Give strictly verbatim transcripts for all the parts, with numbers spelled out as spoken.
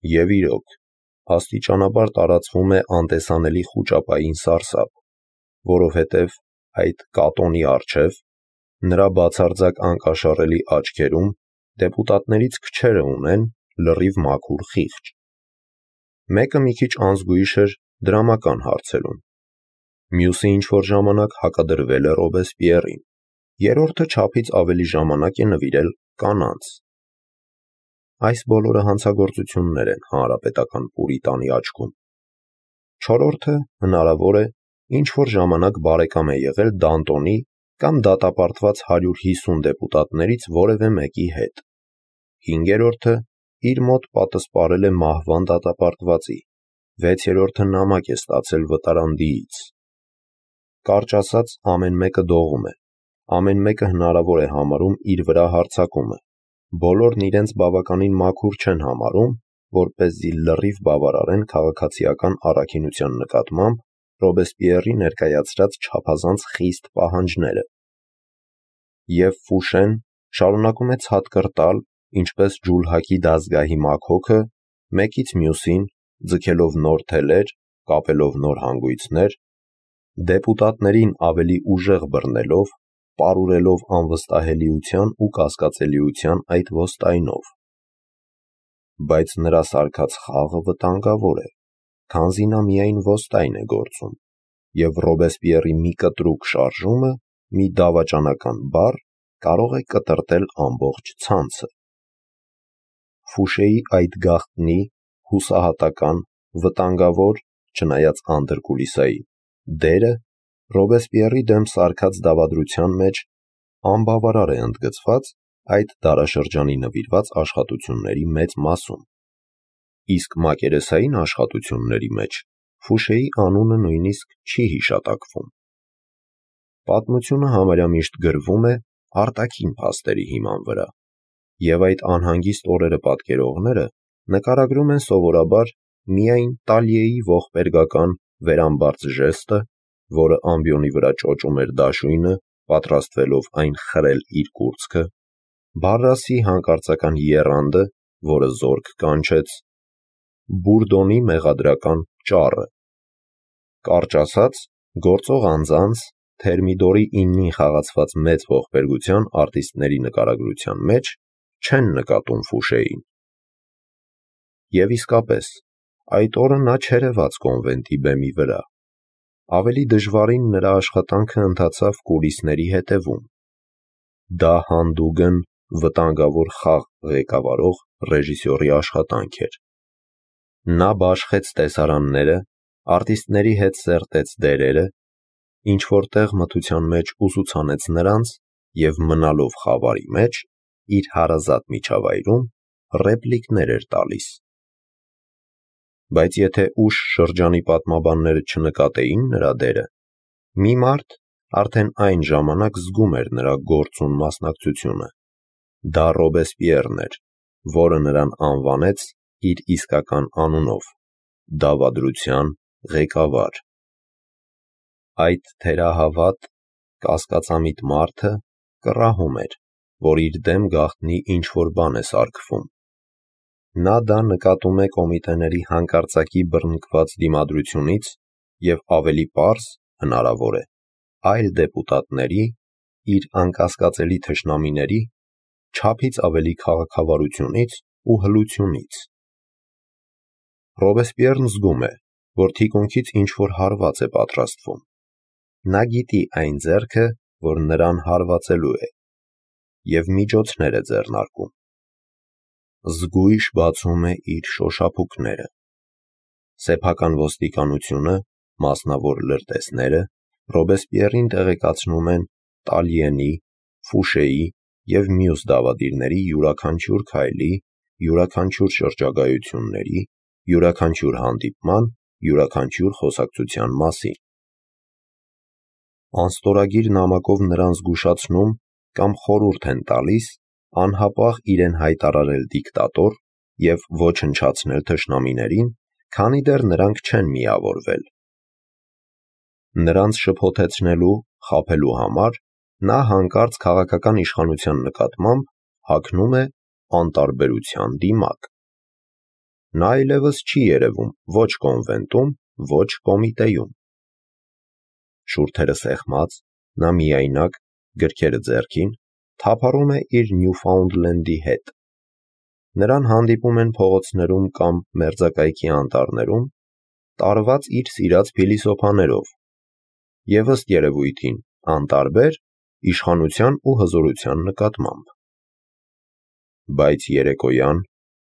Եվ իրոք, աստիճանաբար տարածվում է անտեսանելի խուճապային սարսափ, որովհետև այդ կատոնի առջև, նրա բացարձակ անկաշառելի աչքերում դեպուտատներից քչերը ունեն լրիվ մաքուր խիղճ։ Մեկը մի քիչ անզգույշ էր դրամական հարցերում, մյուսը ինչ-որ ժամանակ հակադրվել է Ռոբեսպիեռին, երրորդը չափից ավելի ժամանակ է նվիրել կանանց։ Այս բոլորը հանցագործություններ են հանրապետական պուրիտանի աչքում։ Չորրորդը, հնարավոր է, ինչ-որ ժամանակ բարեկամ է եղել Դանտոնի կամ դատապարտված հարյուր հիսուն դեպուտատներից որևէ մեկի հետ։ Հինգերորդը իր մոտ պատսպարել է մահվան դատապարտվածի, վեցերորդը նամակ է ստացել վտարանդիից։ Կարճ ասած, ամեն մեկը դողում է, ամեն մեկը հնարավոր է համարում իր վրա հարձակումը, բոլորն իրենց բավականին մաքուր չեն համարում, որպեսզի լրիվ բավարարեն քաղաքացիական առաքինության նկատմամբ Ռոբեսպիեռի ներկայացրած չափազանց խիստ պահանջները։ Եվ Ֆուշեն շարունակում է ցատկր տալ, ինչպես ջուլհակի դազգահի մաքոքը, մեկից մյուսին, ձգելով նոր թելեր, կապելով նոր հանգույցներ, դեպուտատներին ավելի ուժեղ բռնելով, պարուրելով անվստահելիության ու կասկածելիության այդ ոստայնով։ Բայց նրա սարքած խաղը վտանգավոր է, քանզի նա միայն ոստայն է գործում, և Ռոբեսպիեռի մի կտրուկ շարժումը, մի դավաճանական բառ կարող է կտրատել ամբողջ ցանցը։ Ֆուշեի այդ գաղտնի, հուսահատական, վտանգավոր, չնայած անդրկուլիսային դերը Ռոբեսպիեռի դեմ սարքած դավադրության մեջ անբավարար է ընդգծված այդ դարաշրջանի նվիրված աշխատությունների մեծ մասում, իսկ մակերեսային աշխատությունների մեջ Ֆուշեի անունը նույնիսկ չի հիշատակվում։ Պատմությունը համարյա միշտ գրվում է արտաքին փաստերի հիման վրա, և այդ անհանգիստ օրերը պատկերողները նկարագրում են սովորաբար միայն Տալիեի ողբերգական վերամբարձ ժեստը, որը ամբիոնի վրա ճոճում էր դաշույնը, պատրաստվելով այն խրել իր կուրծքը, Բարրասի հանկարծական եռանդը, որը զորք կանչեց, Բուրդոնի մեղադրական ճառը։ Կարճ ասած, գործող անձանց, Թերմիդորի իննին խաղացված մեծ ողբերգության արտիստների նկարագրության մեջ չեն նկատում Ֆուշեին։ Եվ իսկապես, այդ օրը նա չերևաց կոնվենտի բեմի վրա, ավելի դժվարին նրա աշխատանքը ընթացավ կուլիսների հետևում։ Դա հանդուգն վտանգավոր խաղ ղեկավարող ռեժիսորի աշխատանք էր։ Նա բաշխեց տեսարանները, արտիստների հետ սերտեց դերերը, ինչ-որ տեղ մթության մեջ ուսուցանեց նրանց և մնալով խավարի մեջ, իր հարազատ միջավայրում ռեպլիկներ էր տալիս։ Բայց եթե ուշ շրջանի պատմաբանները չնկատեին նրա դերը, մի մարդ արդեն այն ժամանակ զգում էր նրա գործուն մասնակցությունը։ Դա Ռոբեսպիեռն էր, որը նրան անվանեց իր իսկական անունով՝ դավադրության ղեկավար։ Այդ թերահավատ, կասկածամիտ մարդը կռահում էր, որ իր դեմ գաղտնի ինչ-որ բան է սարքվում։ Նա դա նկատում է կոմիտեների հանկարծակի բռնկված դիմադրությունից և ավելի պարզ, հնարավոր է, այլ դեպուտատների, իր անկասկածելի թշնամիների, չափից ավելի քաղաքավարությունից ու հլությունից։ Ռոբեսպիեռն զգում է, որ թիկունքից ինչ-որ հարված է պատրաստվում։ Նա գիտի այն ձեռքը, որ նրան հարվածելու է, և միջոցներ է ձեռնարկում։ Զգույշ բացում է իր շոշափուկները։ Սեփական ոստիկանությունը, մասնավոր լրտեսները Ռոբեսպիեռին տեղեկացնում են Տալիենի, Ֆուշեի և մյուս դավադիրների յուրաքանչյուր քայլի, յուրաքանչյուր շրջագայությունների, յուրաքանչյուր հանդիպման, յուրաքանչյուր խոսակցության մասին։ Անստորագիր նամակով նրան զգուշացնում կամ խորհուրդ են տալիս անհապաղ իրեն հայտարարել դիկտատոր և ոչնչացնել թշնամիներին, քանի դեռ նրանք չեն միավորվել։ Նրանց շփոթեցնելու, խաբելու համար նա հանկարծ քաղաքական իշխանության նկատմամբ հագնում է անտարբերության դիմակ։ նա այլևս չի երևում ոչ կոնվենտում, ոչ կոմիտեում։ Շուրթերը սեղմած, նա միայնակ, գրքերը ձեռքին, թափառում է իր Նյուֆաունդլենդի հետ։ Նրան հանդիպում են փողոցներում կամ մերձակայքի անտառներում, տարված իր սիրած փիլիսոփաներով, և ըստ երևույթին անտարբեր իշխանության ու հզորության նկատմամբ։ Բայց երեկոյան,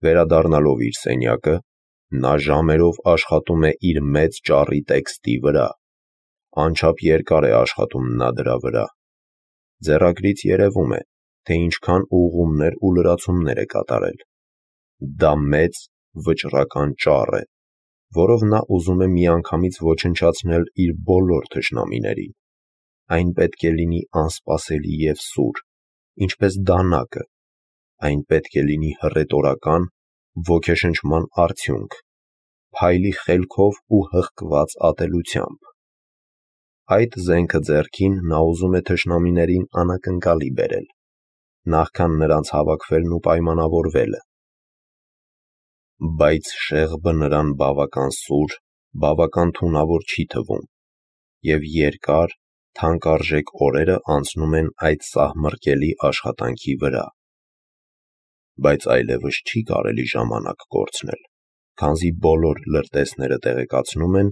վերադառնալով իր սենյակը, նա ժամերով աշխատում է իր մեծ ճառի տեքստի վրա, անչափ երկար է աշխատում նա դրա վրա։ Ձեռագրից երևում է, թե ինչքան ուղղումներ ու լրացումներ է կատարել։ Դա մեծ, վճռական ճառ է, որով նա ուզում է միանգամից ոչնչացնել իր բոլոր թշնամիներին։ Այն պետք է լինի անսպասելի և սուր, ինչպես դանակը, այն պետք է լինի հռետորական, ոգեշնչման արդյունք, փայլի խելքով ու հղկված ատելությամբ։ Այդ զենքը ձեռքին նա ուզում է թշնամիներին անակնկալի բերել, նախքան նրանց հավաքվելն ու պայմանավորվելը։ Բայց շեղբը նրան բավական սուր, բավական թունավոր չի թվում, և երկար, թանկարժեք օրերը անցնում են այդ սահմռկելի աշխատանքի վրա։ Բայց այլևս չի կարելի ժամանակ կորցնել, քանզի բոլոր լրտեսները տեղեկացնում են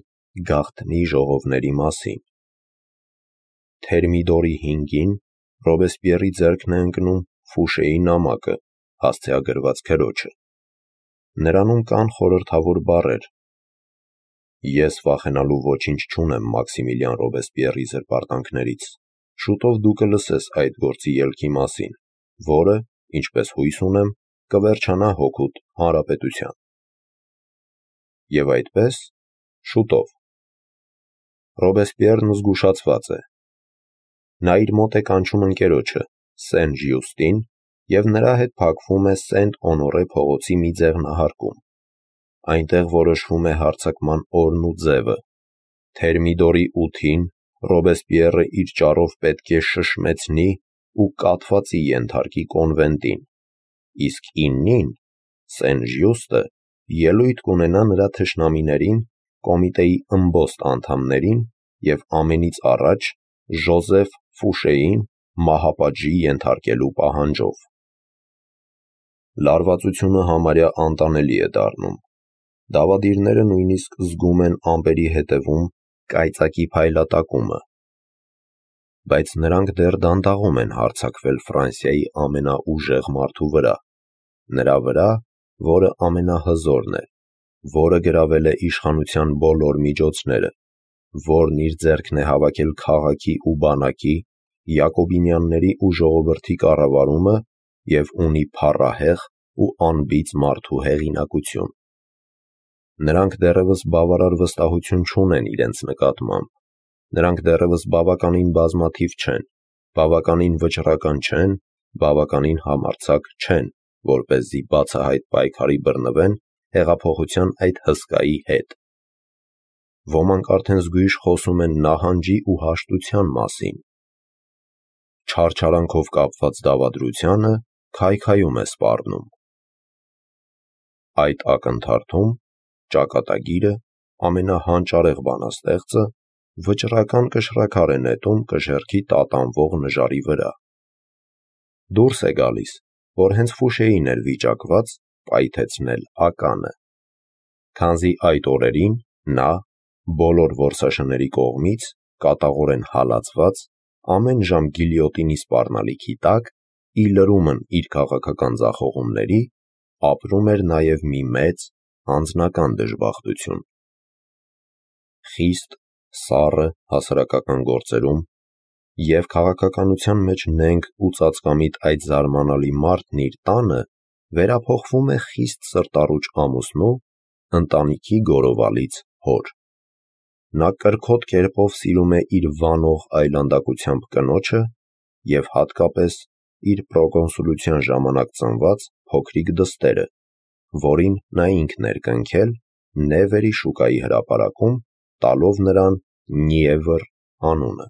գաղտնի ժողովների մասին։ Թերմիդորի հինգին Ռոբեսպիերի ձեռքն է ընկնում Ֆուշեի նամակը, հասցեագրված քրոջը։ Նրանում կան խորհրդավոր բառեր. «Ես վախենալու ոչինչ չունեմ Մաքսիմիլիան Ռոբեսպիերի զրպարտանքներից, շուտով դու կլսես այդ գործի ելքի մասին, որը, ինչպես հույս ունեմ, կվերջանա հօգուտ հանրապետության»։ Եվ այդպես, շուտով։ Ռոբեսպիերն զգուշացված է։ Նա իր մոտ է կանչում ընկերոջը՝ Սեն-Ժյուստին, և նրա հետ փակվում է Սենտ-Օնորե փողոցի մի ձեղնահարկում։ Այնտեղ որոշվում է հարձակման օրն ու ձևը։ Թերմիդորի ութին Ռոբեսպիերը իր ճառով պետք է շշմեցնի ու կաթվածի ենթարկի կոնվենտին, իսկ իննին Սեն-Ժյուստը ելույթ կունենա նրա թշնամիներին, կոմիտեի ըմբոստ անդամներին և ամենից առաջ Ժոզեֆ Ֆուշեին մահապատժի ենթարկելու պահանջով։ Լարվածությունը համարյա անտանելի է դառնում։ Դավադիրները նույնիսկ զգում են ամպերի հետևում կայծակի փայլատակումը։ Բայց նրանք դեռ դանդաղում են հարձակվել Ֆրանսիայի ամենաուժեղ մարդու վրա, նրա վրա, որը ամենահզորն է, որը գրավել է իշխանության բոլոր միջոցները, որն իր ձեռքն է հավաքել քաղաքի ու բանակի, յակոբինյանների ու ժողովրդի կառավարումը և ունի փառահեղ ու անբիծ մարդու հեղինակություն։ Նրանք դեռևս բավարար վստահություն չունեն իրենց նկատմամբ, նրանք դեռևս բավականին բազմաթիվ չեն, բավականին վճռական չեն, բավականին համարձակ չեն, որպեսզի բացահայտ պայքարի բռնվեն հեղափոխության այդ հսկայի հետ։ Ոմանք արդեն զգույշ խոսում են նահանջի ու հաշտության մասին։ Չարչարանքով կապված դավադրությանը քայքայում է սպառնում։ Այդ ակնթարթում ճակատագիրը, ամենահանճարեղ բանաստեղծը, վճռական կշռաքար է նետում կշեռքի տատանվող նժարի վրա։ Դուրս է գալիս, որ հենց Ֆուշեին էր վիճակված պայթեցնել ականը, քանզի այդ օրերին նա, բոլոր որսաշների կողմից կատաղորեն հալածված, ամեն ժամ գիլյոտինի սպառնալիքի տակ, ի լրումն իր քաղաքական ձախողումների, ապրում էր նաև մի մեծ, անձնական դժբախտություն։ Խիստ, սառը հասարակական գործերում և քաղաքականության մեջ նենգ ու ծածկամիտ այդ զարմանալի մարդն իր տանը վերափոխվում է խիստ սրտառուչ ամուսնու, ընտանիքի գորովալից հոր։ Նա կրքոտ կերպով սիրում է իր վանող այլանդակությամբ կնոջը և հատկապես իր պրոկոնսուլության ժամանակ ծնված փոքրիկ դստերը, որին նա ինքն էր կնքել Նևերի շուկայի հրապարակում, տալով նրան Նիևըր անունը։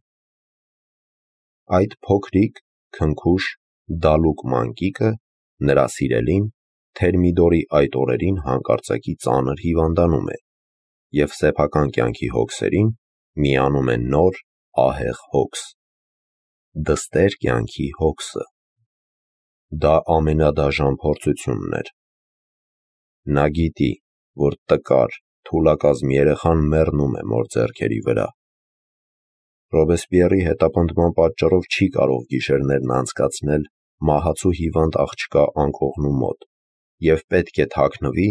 Այդ փոքրիկ, քնքուշ, դալուկ մանկիկը, նրա սիրելին, Թերմիդորի այդ օրերին հանկարծակի ծանր հիվանդանում է, և սեփական կյանքի հոգսերին միանում է նոր, ահեղ հոգս՝ դստեր կյանքի հոգսը։ Դա ամենադաժան փորձությունն էր։ Նա գիտի, որ տկար, թուլակազմ երեխան մեռնում է մոր ձեռքերի վրա։ Ռոբեսպիեռի հետապնդման պատճառով չի կարող գիշերներն անցկացնել մահացու հիվանդ աղջկա անկողնու մոտ և պետք է թաքնվի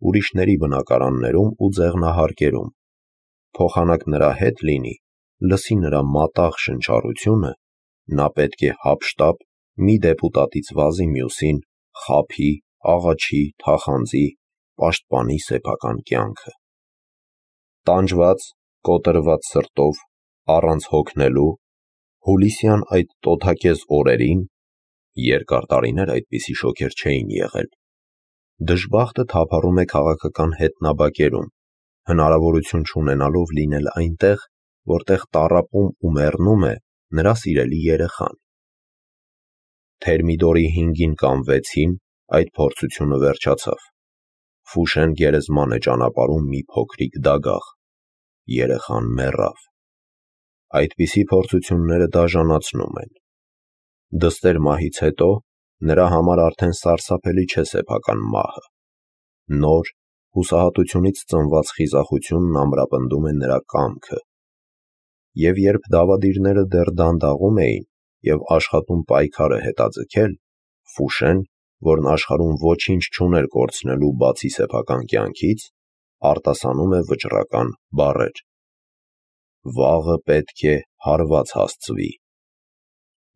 ուրիշների բնակարաններում ու ձեղնահարկերում, փոխանակ նրա հետ լինի, լսի նրա մատաղ շնչառությունը, նա պետք է հափշտապ մի դեպուտատից վազի մյուսին խաբի, աղաչի, թախանձի, պաշտպանի սեփական կյանքը։ Տանջված, կոտրված սրտով, առանց հոգնելու, հուլիսյան այդ տոթակեզ օրերին (երկար տարիներ այդպիսի շոգեր չէին եղել) դժբախտը թափառում է քաղաքական հետնաբակերում, հնարավորություն չունենալով լինել այնտեղ, որտեղ տառապում ու մեռնում է նրա սիրելի երեխան։ Թերմիդորի հինգին կամ վեցին այդ փորձությունը վերջացավ։ Ֆուշեն գերեզման է ճանապարհում մի փոքրիկ դագաղ։ Երեխան մեռավ։ Այդպիսի փորձությունները դաժանացնում են։ Դստեր մահից հետո նրա համար արդեն սարսափելի չէ սեփական մահը։ Նոր, հուսահատությունից ծնված խիզախությունն ամրապնդում է նրա կամքը։ Եվ երբ դավադիրները դեռ դանդաղում էին և աշխատում պայքարը հետաձգել, Ֆուշեն, որն աշխարհում ոչինչ չուներ կորցնելու բացի սեփական կյանքից, արտասանում է վճռական բառեր. «Վաղը պետք է հարված հասցվի»։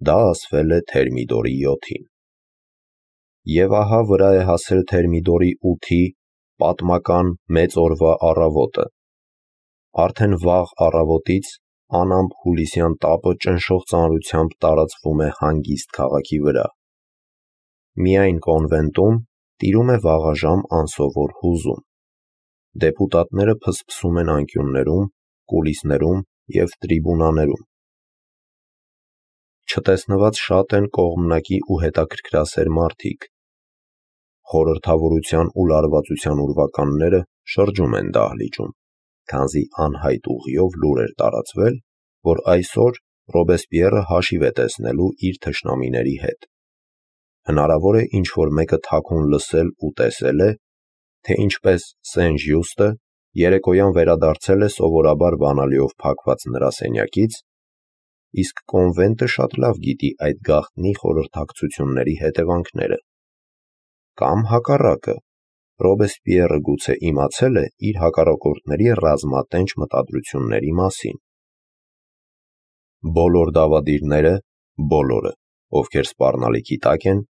Դա ասվել է Թերմիդորի յոթին։ Եվ ահա վրա է հասել Թերմիդորի ութի պատմական մեծ օրվա առավոտը։ Արդեն վաղ առավոտից անամպ հուլիսյան տապը ճնշող ծանրությամբ տարածվում է հանգիստ քաղաքի վրա։ Միայն կոնվենտում տիրում է վաղաժամ անսովոր հուզում։ Դեպուտատները փսփսում են անկյուններում, կուլիսներում և տրիբունաներում։ Չտեսնված շատ են կողմնակի ու հետաքրքրասեր մարդիկ։ Խորհրդավորության ու լարվածության ուրվականները շրջում են դահլիճում, քանզի անհայտ ուղիով լուր էր տարածվել, որ այսօր Ռոբեսպիեռը հաշիվ է տեսնելու իր թշնամիների հետ։ Հնարավոր է ինչ-որ մեկը թաքուն լսել ու տեսել է, թե ինչպես Սեն-Ժյուստը երեկոյան վերադարձել է սովորաբար բանալիով փակված նրա սենյակից, իսկ կոնվենտը շատ լավ գիտի այդ գաղտնի խորհրդակցությունների հետևանքները։ Կամ հակառակը, Ռոբեսպիեռը գուցե իմացել է իր հակառակորդների ռազմատենչ մտադրությունների մասին։ Բոլոր դավադիրները, բոլորը, ովքեր սպառնալիքի տակ են,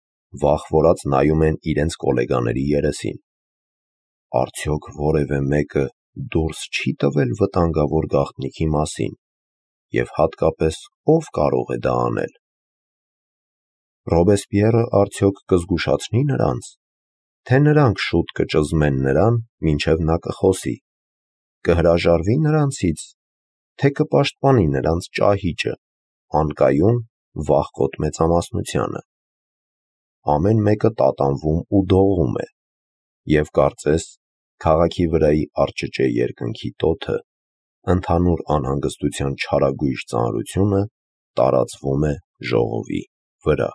վախվորած նայում են իրենց կոլեգաների երեսին։ Արդյոք որևէ մեկը դուրս չի՞ տվել վտանգավոր գաղտնիքի մասին, և հատկապես ո՞վ կարող է դա անել։ Ռոբեսպիեռը արդյոք կզգուշացնի նրանց, թե նրանք շուտ կճզմեն նրան, մինչև նա կխոսի, կհրաժարվի նրանցից, թե կպաշտպանի նրանց ճահիճը, անկայուն, վախկոտ մեծամասնությանը։ Ամեն մեկը տատանվում ու դողում է, և կարծես քաղաքի վրայի առճճե երկնքի տոթը, ընդհանուր անհանգստության չարագույժ ծանրությունը տարածվում է ժողովի վրա։